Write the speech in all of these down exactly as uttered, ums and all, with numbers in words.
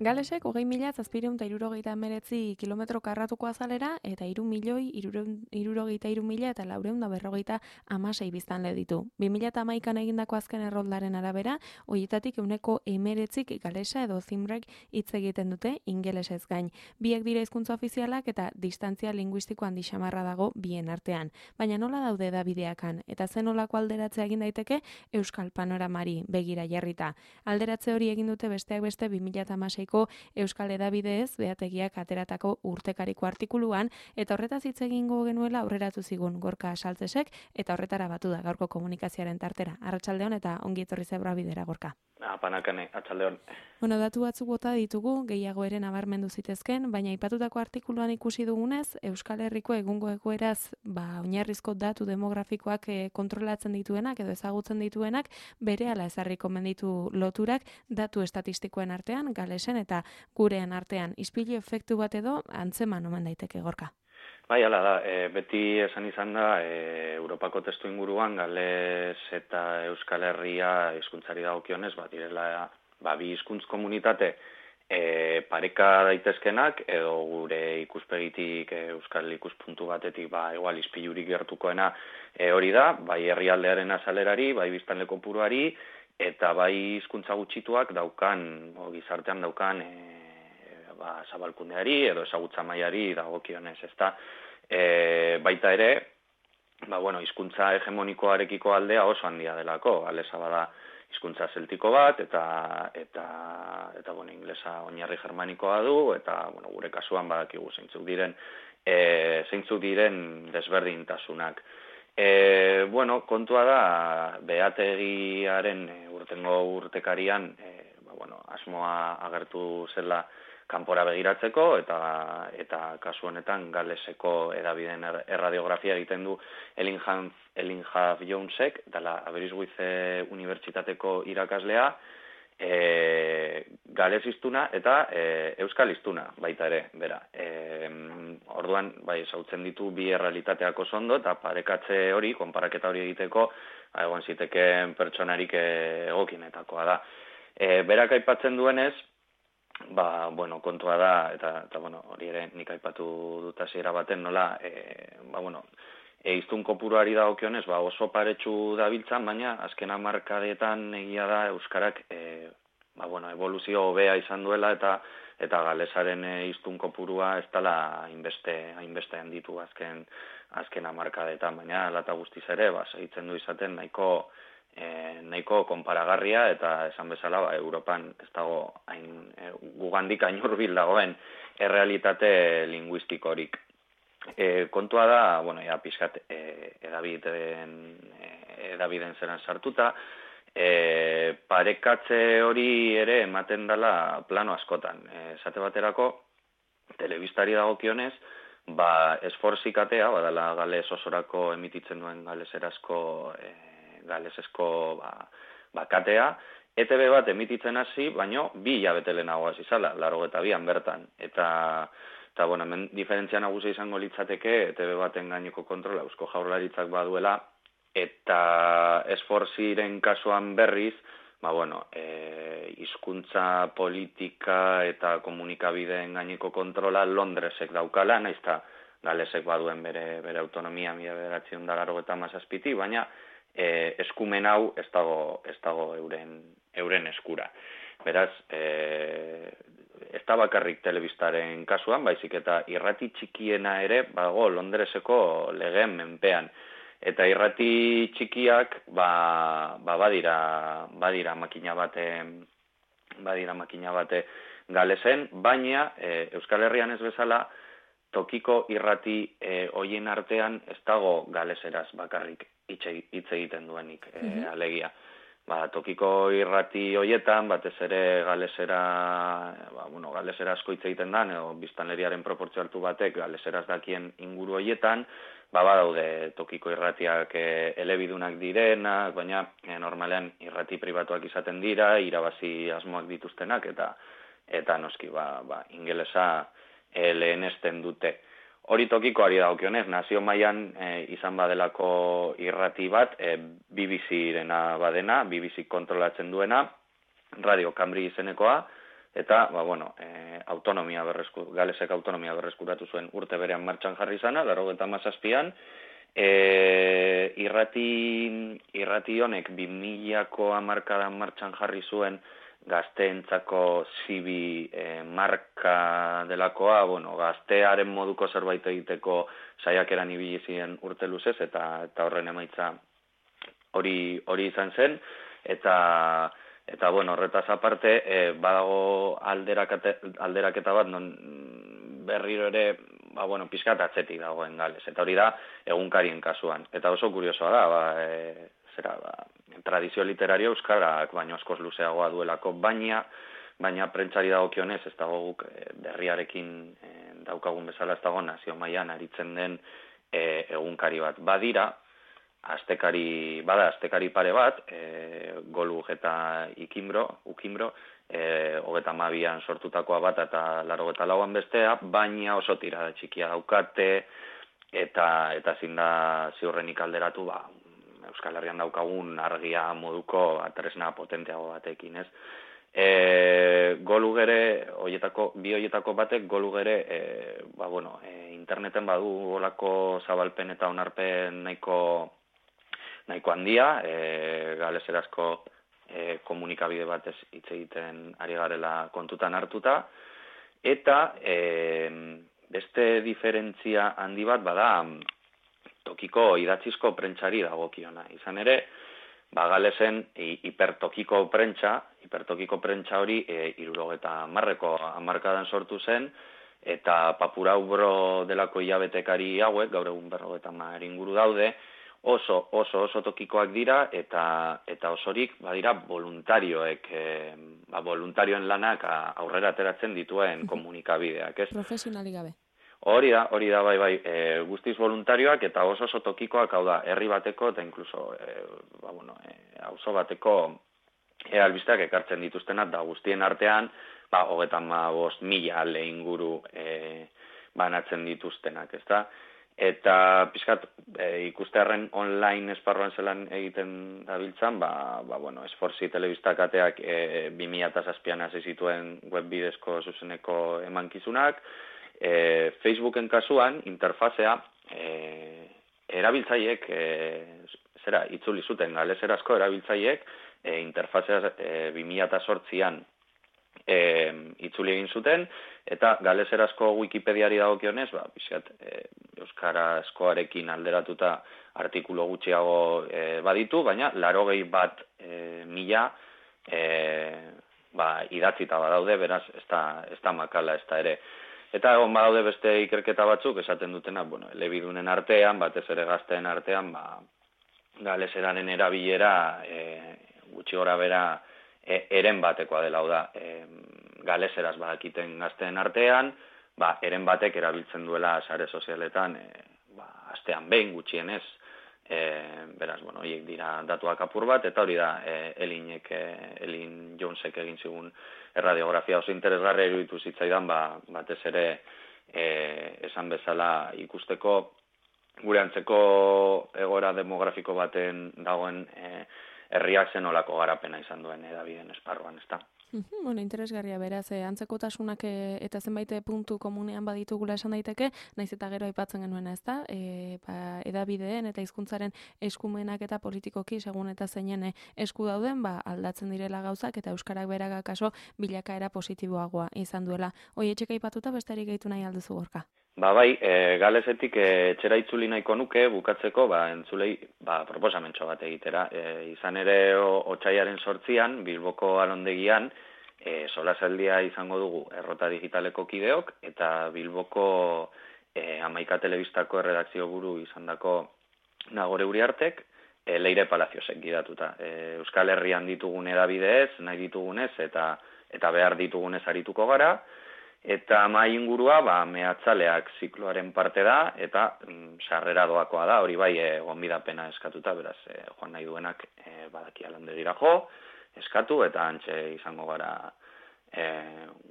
Galesek hogei mila zazpiehun eta hirurogeita hemeretzi kilometro karratuko azalera eta hiru milioi hirurogeita hiru mila eta laurehun eta berrogeita hamasei biztanle ditu. bi mila hamaikan egindako azken erroldaren arabera, horietatik ehuneko hemeretzik galesa edo zimrek hitz egiten dute ingelesez gain. Biek dira hizkuntza ofizialak eta distantzia linguistiko handi xamarra dago bien artean. Baina nola daude edabideakan eta zen nolako alderatzea egin daiteke euskal panoramari begira jarrita. Alderatze hori egin dute besteak beste bi mila hamaseiko euskal edabideez behategiak ateratako urtekariko artikuluan, eta horretaz hitz egingo genuela aurreratu zigun Gorka Saltzesek, eta horretara batu da gaurko komunikazioaren tartera. Arratsaldeon eta ongi etorri zebra bidera, Gorka. Apanakane, atxaldeon. Bueno, datu batzuk bota ditugu, gehiago ere nabarmendu zitezken, baina aipatutako artikuluan ikusi dugunez, Euskal Herriko egungo egoeraz, ba, oinarrizko datu demografikoak e, kontrolatzen dituenak edo ezagutzen dituenak, berehala ezarriko menditu loturak datu estatistikoen artean, galesen eta gurean artean. Ispilu efektu bat edo antzeman omen daiteke, Gorka. Bai, hala da, e, beti esan izan da, e, Europako testu inguruan, Gales eta Euskal Herria hizkuntzari dagokionez, bat direla, ba, bi hizkuntz komunitate e, pareka daitezkenak, edo gure ikuspegitik e, Euskal ikuspuntu batetik, ba, igual ispilurik gertukoena e, hori da, bai herrialdearen azalerari, bai biztanle kopuruari, eta bai hizkuntza gutxituak daukan, o, gizartean daukan, e, ba, zabalkundeari edo ezagutza mailari dagokionez, ezta? E, baita ere, ba, bueno, hizkuntza hegemonikoarekiko aldea oso handia delako, galesa bada hizkuntza zeltiko bat, eta, eta, eta bueno, inglesa oinarri germanikoa du, eta, bueno, gure kasuan badakigu zeintzuk diren, e, zeintzuk diren desberdintasunak. E, bueno, kontua da, behategiaren urtengo urtekarian, e, ba, bueno, asmoa agertu zela kanpora begiratzeko, eta eta kasu honetan galeseko edabideen erradiografia egiten du Ellingham Jonesek, dela Aberystwyth Unibertsitateko irakaslea, e, gales hiztuna eta e, euskal hiztuna baita ere, bera. E, orduan, bai, esautzen ditu bi errealitateak oso ondo, eta parekatze hori, konparaketa hori egiteko, egon zitekeen pertsonarik egokienetakoa da. E, berak aipatzen duenez, ba, bueno, kontua da, eta, eta bueno, hori ere nik aipatu dut hasiera baten nola, e, ba, bueno, e, hiztun kopuruari dagokionez, ba, oso paretsu dabiltzan, baina azken hamarkadetan egia da euskarak, e, ba, bueno, evoluzio hobea izan duela, eta eta galesaren hiztun kopurua ez dela hainbeste, hainbeste handitu azken, azken hamarkadetan, baina lata guztiz ere, ba, segitzen du izaten nahiko, E, nahiko konparagarria, eta esan bezala, ba, Europan ez dago hain, e, gugandik hain hurbil dagoen errealitate linguistikorik. E, kontua da, bueno, ja, pixkat e, edabideen, e, edabideen zeran sartuta, e, parekatze hori ere ematen dela plano askotan. E, esate baterako, telebistari dagokionez, ba, esforzikatea, badala gales osorako emititzen duen galeserazko e, galesesko ba, bakatea, E T B bat emititzen hasi, baino bi hilabete lehenago hasi zala, laurogeita bian bertan. Eta, eta bueno, hemen diferentzia nagusia izango litzateke E T B baten gaineko kontrola Eusko Jaurlaritzak baduela, eta esforziren kasuan berriz, ba bueno, e, hizkuntza politika eta komunikabideen gaineko kontrola Londresek daukala, naizta galesek baduen bere, bere autonomia mila bederatziehun eta laurogeita hamazazpitik, baina E, eskumen hau ez dago, ez dago euren, euren eskura. Beraz, e, ez da bakarrik telebistaren kasuan, baizik eta irrati txikiena ere bago Londreseko legeen menpean. Eta irrati txikiak ba, ba badira, badira makina bate, badira makina bate galesen, baina e, Euskal Herrian ez bezala tokiko irrati e, hoien artean ez dago galeseraz bakarrik hitz egiten duenik, e, alegia. ba, tokiko irrati hoietan, batez ere galesera, ba, bueno, galesera asko hitz egiten da, edo biztanleriaren proportzio altu batek galeseraz dakien inguru hoietan, ba, badaude tokiko irratiak e, elebidunak direnak, baina e, normalean irrati pribatuak izaten dira, irabazi asmoak dituztenak, eta eta noski, ba, ba, ingelesa e, lehenesten dute. Hori tokikoari dagokionez, nazio mailan e, izan badelako irrati bat, e, B B C-rena badena, B B C kontrolatzen duena, Radio Cambri izenekoa, eta, ba, bueno, e, autonomia berresku, galesek autonomia berreskuratu zuen urte berean martxan jarri zana, laurogeita hamazazpian, e, irrati, irrati honek bi milako hamarkadan martxan jarri zuen gazteentzako zibi e, marka delakoa, bueno, gaztearen moduko zerbait egiteko saiakeran ibili ziren urte luzez, eta, eta horren emaitza hori hori izan zen, eta eta bueno, horretaz aparte, e, badago alderakete, alderaketa bat non berriro ere, ba, bueno, pizkat atzetik dagoen Gales, eta hori da egunkarien kasuan, eta oso kuriosoa da, ba, e, zera, ba, tradizio literario euskarak baino askoz luzeagoa duelako, baina baina prentsari dagokionez ez dago guk e, berriarekin e, daukagun bezala ez dago nazio mailan aritzen den e, egunkari bat. Badira, astekari, bada astekari pare bat, e, Golug eta Ikimbro, Ukimbro, e, hogeita hamabian sortutakoa bat eta laurogeita lauan bestea, baina oso tirada txikia daukate, eta eta ezin da ziurrenik alderatu, ba, Euskal Herrian daukagun argia moduko tresna potenteago batekin, ez? E, Golug ere, hoietako, bi hoietako batek Golug ere, e, ba, bueno, e, interneten badu olako zabalpen eta onarpen nahiko nahiko handia, e, galeserazko e, komunikabide batez hitz egiten ari garela kontutan hartuta, eta e, beste diferentzia handi bat bada tokiko idatzizko prentsari dagokiona. Izan ere, ba, Galesen hipertokiko prentsa, hipertokiko prentsa hori e, hirurogeita hamarreko hamarkadan sortu zen, eta Papuraubro delako hilabetekari hauek, gaur egun berrogeita hamar inguru daude, oso oso oso tokikoak dira, eta eta osorik badira voluntarioek, e, ba, voluntarioen lanak aurrera ateratzen dituen komunikabideak, ez? Profesionalik gabe. Hori da, hori da, bai, bai, e, guztiz voluntarioak eta oso oso tokikoak, hau da, herri bateko eta inkluso, e, ba, bueno, e, auzo bateko e, albisteak ekartzen dituztenak, da guztien artean, ba, hogeita hamabost mila ale inguru e, banatzen dituztenak, ezta? Eta pixkat e, ikustearren online esparruan zelan egiten dabiltzan, ba, ba, bueno, Esfortzi telebista kateak e, bi mila zazpian hasi zituen web bidezko zuzeneko emankizunak, E, Facebooken kasuan, interfazea, e, erabiltzaiek, e, zera, itzuli zuten galeserazko erabiltzaiek, e, interfazea e, bi mila zortzian e, itzuli egin zuten, eta galeserazko Wikipediari dagokionez, ba, bizkat, e, euskarazkoarekin alderatuta artikulu gutxiago e, baditu, baina larogei bat e, mila e, ba, idatzita badaude, beraz, ez da, ez da makala, ez da ere. Eta egon badaude beste ikerketa batzuk esaten dutena, bueno, elebidunen artean, batez ere gazteen artean, ba, galeseraren erabilera e, gutxi gora bera e, eren batekoa dela, da, e, galeseraz badakiten gazteen artean, ba, eren batek erabiltzen duela sare sozialetan, e, ba, astean behin gutxienez, e, beraz, bueno, horiek dira datuak apur bat, eta hori da, e, Elinek, e, Elin Jonesek egin zigun erradiografia oso interesgarria iruditu zitzaidan, ba, batez ere e, esan bezala ikusteko gure antzeko egoera demografiko baten dagoen e, herriak zenolako garapena izan duen edabideen esparruan, ezta? Bueno, interesgarria beraz, eh, antzekotasunak eh, eta zenbait puntu komunean baditugula esan daiteke, naiz eta gero aipatzen genuena, ezta? Eh, ba, edabideen eta hizkuntzaren eskumenak eta politikoki segun eta zeinen eh, esku dauden, ba, aldatzen direla gauzak eta euskarak beraga kaso bilakaera positiboagoa izan duela. Hoi etxeka aipatuta besterik gehitu nahi alduzu Gorka? Ba bai, e, galesetik e, etxera itzuli nahiko nuke bukatzeko, ba entzulei, ba proposamentxo bat egitera. E, izan ere otsaiaren sortzian Bilboko Alondegian e, solasaldia izango dugu Errota Digitaleko kideok eta Bilboko e, Hamaika Telebistako erredakzio buru izandako Nagore Uriartek e, Leire Palaziosek gidatuta. E, Euskal Herrian ditugun edabideez, nahi ditugunez, eta eta behar ditugunez arituko gara, eta mai ingurua, ba, mehatzaleak zikloaren parte da, eta mm, sarrera doakoa da, hori bai, e, gonbidapena eskatuta, beraz, e, joan nahi duenak e, badakia landegira jo, eskatu, eta antxe izango gara e,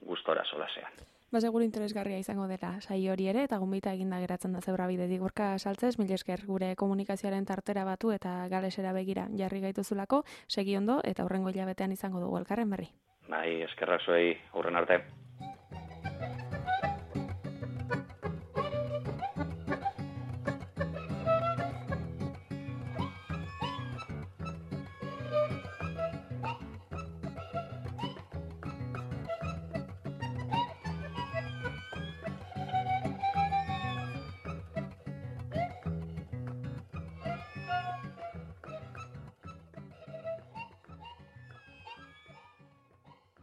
gustora solasean. Ba, seguru interesgarria izango dela sai hori ere, eta gonbita eginda geratzen da Zebrabidetik. Gorka Saltzez, mila esker gure komunikazioaren tartera batu eta galesera begira jarri gaituzulako, segi ondo, eta hurrengo hilabetean izango dugu elkarren berri. Bai, eskerrak zuei, aurren arte.